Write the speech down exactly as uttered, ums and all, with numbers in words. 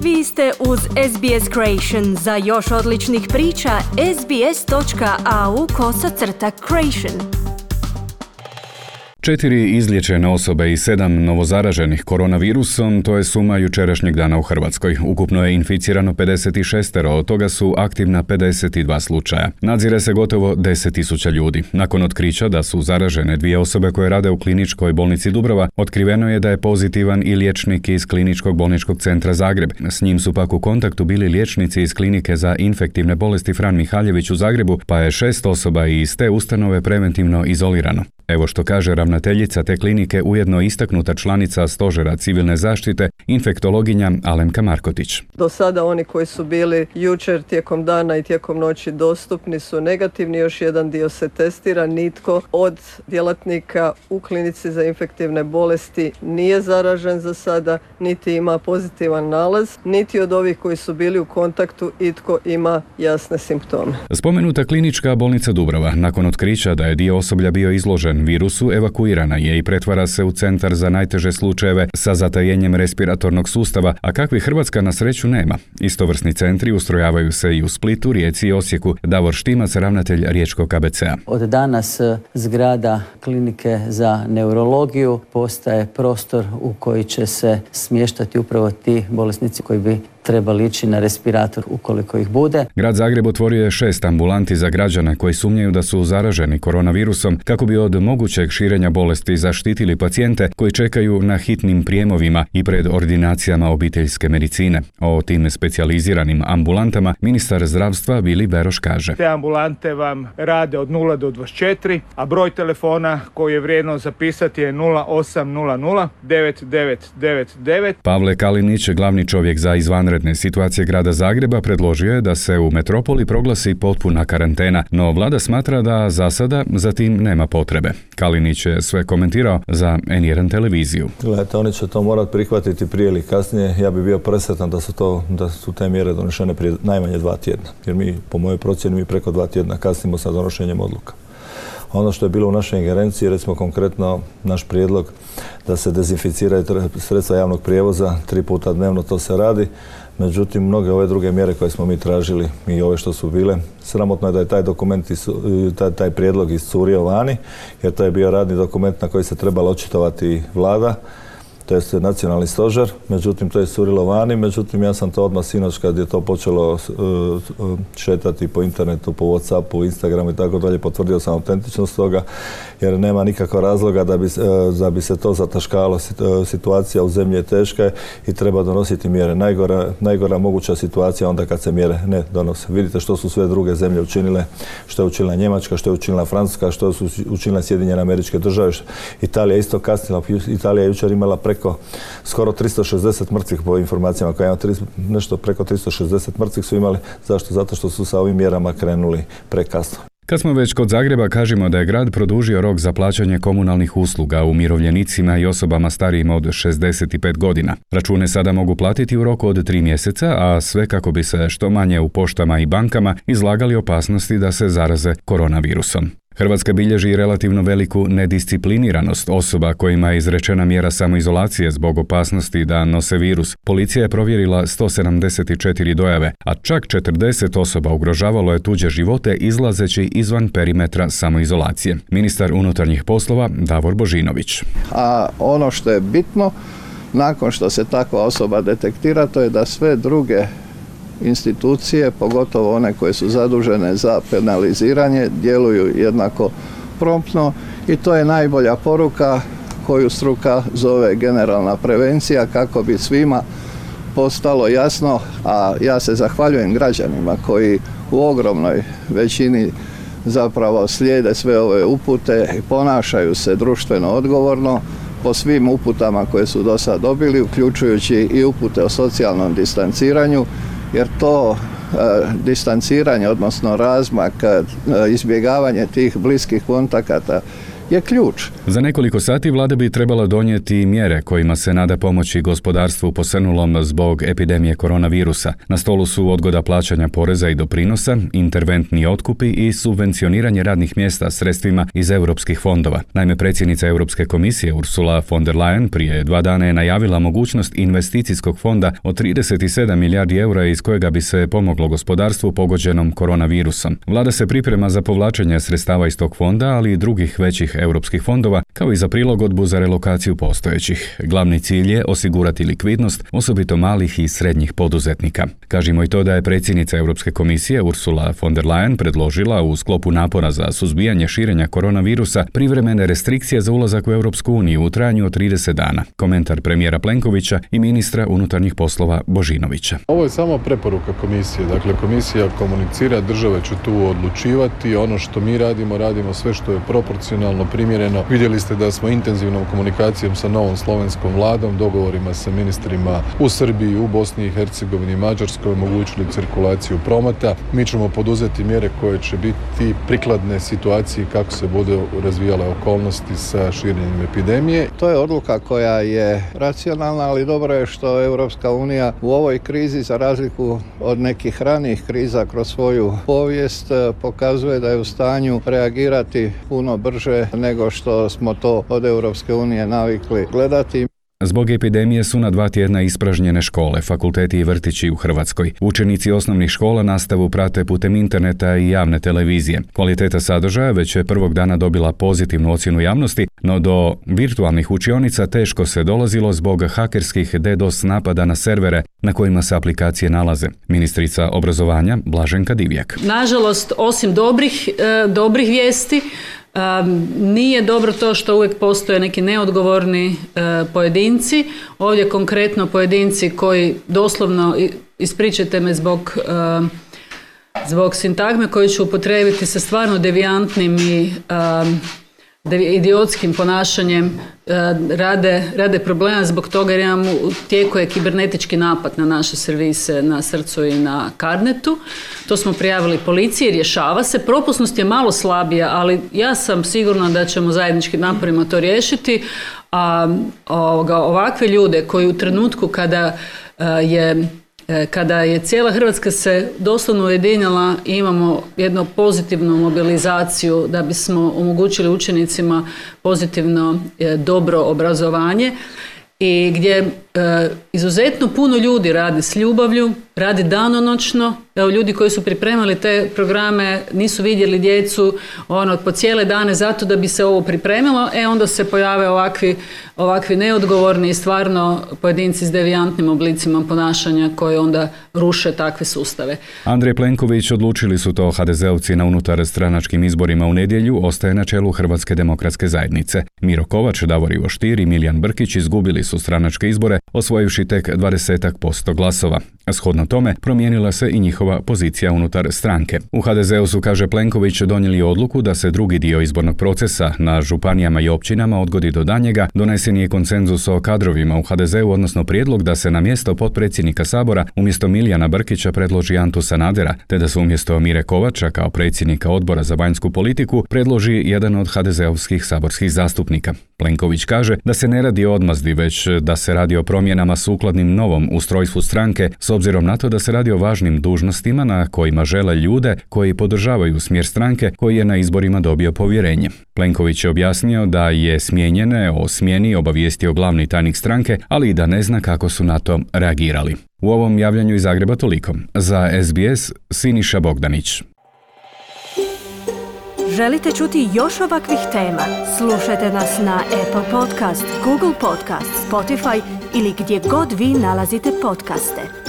Vi ste uz S B S Creation. Za još odličnih priča, sbs.au kosacrta creation. Četiri izliječene osobe i sedam novozaraženih koronavirusom, to je suma jučerašnjeg dana u Hrvatskoj. Ukupno je inficirano pedeset šest, od toga su aktivna pedeset dva slučaja. Nadzire se gotovo deset tisuća ljudi. Nakon otkrića da su zaražene dvije osobe koje rade u kliničkoj bolnici Dubrova, otkriveno je da je pozitivan i liječnik iz kliničkog bolničkog centra Zagreb. S njim su pak u kontaktu bili liječnici iz klinike za infektivne bolesti Fran Mihaljević u Zagrebu, pa je šest osoba iz te ustanove preventivno izolirano. Evo što kaže ravnateljica te klinike, ujedno istaknuta članica Stožera civilne zaštite, infektologinja Alemka Markotić. Do sada oni koji su bili jučer tijekom dana i tijekom noći dostupni su negativni, još jedan dio se testira. Nitko od djelatnika u klinici za infektivne bolesti nije zaražen za sada, niti ima pozitivan nalaz, niti od ovih koji su bili u kontaktu itko ima jasne simptome. Spomenuta klinička bolnica Dubrova, nakon otkrića da je dio osoblja bio izložen virusu, evakuirana je i pretvara se u centar za najteže slučajeve sa zatajenjem respiratornog sustava, a kakvi Hrvatska na sreću nema. Istovrsni centri ustrojavaju se i u Splitu, Rijeci i Osijeku. Davor Štimac, ravnatelj riječkog K B C-a. Od danas zgrada klinike za neurologiju postaje prostor u koji će se smještati upravo ti bolesnici koji bi trebali ići na respirator ukoliko ih bude. Grad Zagreb otvorio je šest ambulanti za građane koji sumnjaju da su zaraženi koronavirusom kako bi od mogućeg širenja bolesti zaštitili pacijente koji čekaju na hitnim prijemovima i pred ordinacijama obiteljske medicine. O tim specijaliziranim ambulantama ministar zdravstva Vili Beroš kaže: Te ambulante vam rade od nula do dvadeset četiri, a broj telefona koji je vrijedno zapisati je nula osam nula nula devet devet devet devet. Pavle Kalinić, glavni čovjek za izvanredne situacije grada Zagreba, predložio je da se u metropoli proglasi potpuna karantena, no vlada smatra da za sada za tim nema potrebe. Kalinić je sve komentirao za N jedan televiziju. Gledajte, oni će to morati prihvatiti prije ili kasnije. Ja bih bio presretan da su, to, da su te mjere donešene prije najmanje dva tjedna. Jer mi, po mojoj procjeni, mi preko dva tjedna kasnimo sa donošenjem odluka. Ono što je bilo u našoj ingerenciji, recimo konkretno naš prijedlog da se dezinficiraju sredstva javnog prijevoza, tri puta dnevno to se radi. Međutim, mnoge ove druge mjere koje smo mi tražili i ove što su bile, sramotno je da je taj dokument, taj, taj prijedlog iscurio vani, jer to je bio radni dokument na koji se trebala očitovati vlada, to je nacionalni stožer, međutim to je iscurilo vani, međutim ja sam to odmah sinoć kad je to počelo uh, šetati po internetu, po Whatsappu, Instagramu i tako dalje, potvrdio sam autentičnost toga, jer nema nikakvog razloga da bi, uh, da bi se to zataškalo. Situacija u zemlji je teška i treba donositi mjere. Najgora, najgora moguća situacija onda kad se mjere ne donose. Vidite što su sve druge zemlje učinile, što je učinila Njemačka, što je učinila Francuska, što su učinile Sjedinjene Američke Države. Italija je isto kasnila. Italija je jučer imala preko skoro tristo šezdeset mrtvih po informacijama koje imamo, nešto preko tristo šezdeset mrtvih su imali. Zašto? Zato što su sa ovim mjerama krenuli prekasno. Kad smo već kod Zagreba, kažemo da je grad produžio rok za plaćanje komunalnih usluga umirovljenicima i osobama starijim od šezdeset pet godina. Račune sada mogu platiti u roku od tri mjeseca, a sve kako bi se što manje u poštama i bankama izlagali opasnosti da se zaraze koronavirusom. Hrvatska bilježi relativno veliku nediscipliniranost osoba kojima je izrečena mjera samoizolacije zbog opasnosti da nose virus. Policija je provjerila sto sedamdeset četiri dojave, a čak četrdeset osoba ugrožavalo je tuđe živote izlazeći izvan perimetra samoizolacije. Ministar unutarnjih poslova Davor Božinović. A ono što je bitno, nakon što se takva osoba detektira, to je da sve druge institucije, pogotovo one koje su zadužene za penaliziranje, djeluju jednako promptno i to je najbolja poruka koju struka zove generalna prevencija, kako bi svima postalo jasno, a ja se zahvaljujem građanima koji u ogromnoj većini zapravo slijede sve ove upute i ponašaju se društveno odgovorno po svim uputama koje su do sad dobili, uključujući i upute o socijalnom distanciranju, jer to e, distanciranje, odnosno razmak, e, izbjegavanje tih bliskih kontakata je ključ. Za nekoliko sati vlada bi trebala donijeti mjere kojima se nada pomoći gospodarstvu posrnulom zbog epidemije koronavirusa. Na stolu su odgoda plaćanja poreza i doprinosa, interventni otkupi i subvencioniranje radnih mjesta sredstvima iz europskih fondova. Naime, predsjednica Europske komisije Ursula von der Leyen prije dva dana je najavila mogućnost investicijskog fonda od trideset sedam milijardi eura iz kojega bi se pomoglo gospodarstvu pogođenom koronavirusom. Vlada se priprema za povlačenje sredstava iz tog fonda, ali i drugih većih europskih fondova, kao i za prilagodbu za relokaciju postojećih. Glavni cilj je osigurati likvidnost, osobito malih i srednjih poduzetnika. Kažimo i to da je predsjednica Europske komisije Ursula von der Leyen predložila u sklopu napora za suzbijanje širenja koronavirusa privremene restrikcije za ulazak u Europsku uniju u trajanju od trideset dana. Komentar premijera Plenkovića i ministra unutarnjih poslova Božinovića. Ovo je samo preporuka komisije. Dakle, komisija komunicira, države će tu odlučivati. Ono što mi radimo, radimo sve što je proporcionalno, primjereno. Vidjeli ste da smo intenzivnom komunikacijom sa novom slovenskom vladom, dogovorima sa ministrima u Srbiji, u Bosni i Hercegovini, Mađarskoj omogućili cirkulaciju prometa. Mi ćemo poduzeti mjere koje će biti prikladne situaciji kako se budu razvijale okolnosti sa širenjem epidemije. To je odluka koja je racionalna, ali dobro je što Europska unija u ovoj krizi, za razliku od nekih ranijih kriza kroz svoju povijest, pokazuje da je u stanju reagirati puno brže nego što smo to od Europske unije navikli gledati. Zbog epidemije su na dva tjedna ispražnjene škole, fakulteti i vrtići u Hrvatskoj. Učenici osnovnih škola nastavu prate putem interneta i javne televizije. Kvaliteta sadržaja već je prvog dana dobila pozitivnu ocjenu javnosti, no do virtualnih učionica teško se dolazilo zbog hakerskih DDoS napada na servere na kojima se aplikacije nalaze. Ministrica obrazovanja Blaženka Divjak. Nažalost, osim dobrih, e, dobrih vijesti, Um, nije dobro to što uvijek postoje neki neodgovorni uh, pojedinci. Ovdje konkretno pojedinci koji doslovno, ispričajte me zbog, uh, zbog sintagme koji ću upotrijebiti sa stvarno devijantnim i um, idiotskim ponašanjem uh, rade, rade problema zbog toga jer imamo u tijeku je kibernetički napad na naše servise na Srcu i na Carnetu. To smo prijavili policiji, rješava se. Propusnost je malo slabija, ali ja sam sigurna da ćemo zajedničkim naporima to riješiti. A ovoga, ovakve ljude koji u trenutku kada uh, je Kada je cijela Hrvatska se doslovno ujedinila i imamo jednu pozitivnu mobilizaciju da bismo omogućili učenicima pozitivno dobro obrazovanje i gdje e, izuzetno puno ljudi radi s ljubavlju, radi danonoćno. Evo, ljudi koji su pripremali te programe nisu vidjeli djecu ono, po cijele dane zato da bi se ovo pripremilo, e onda se pojave ovakvi, ovakvi neodgovorni i stvarno pojedinci s devijantnim oblicima ponašanja koji onda ruše takve sustave. Andrej Plenković, odlučili su to ha de zeovci na unutar stranačkim izborima u nedjelju, ostaje na čelu Hrvatske demokratske zajednice. Miro Kovač, Davor Ivo Stier i Miljan Brkić izgubili su stranačke izbore, osvojivši tek dvadeset posto glasova. Shodno tome, promijenila se i njihova pozicija unutar stranke. U ha de zeu su, kaže Plenković, donijeli odluku da se drugi dio izbornog procesa na županijama i općinama odgodi do danjega. Donesen je konsenzus o kadrovima u ha de zeu, odnosno prijedlog da se na mjesto potpredsjednika Sabora umjesto Miljana Brkića predloži Antu Sanadera, te da se umjesto Mire Kovača kao predsjednika Odbora za vanjsku politiku predloži jedan od ha de zeovskih saborskih zastupnika. Plenković kaže da se ne radi o odmazdi, već da se radi o promjenama sukladnim novom ustrojstvu stranke, s obzirom na to da se radi o važnim dužnostima na kojima žele ljude koji podržavaju smjer stranke koji je na izborima dobio povjerenje. Plenković je objasnio da je smijenjene o smjeni obavijestio glavni tajnik stranke, ali i da ne zna kako su na to reagirali. U ovom javljanju iz Zagreba toliko. Za es be es, Siniša Bogdanić. Želite čuti još ovakvih tema? Slušajte nas na Apple Podcast, Google Podcast, Spotify ili gdje god vi nalazite podcaste.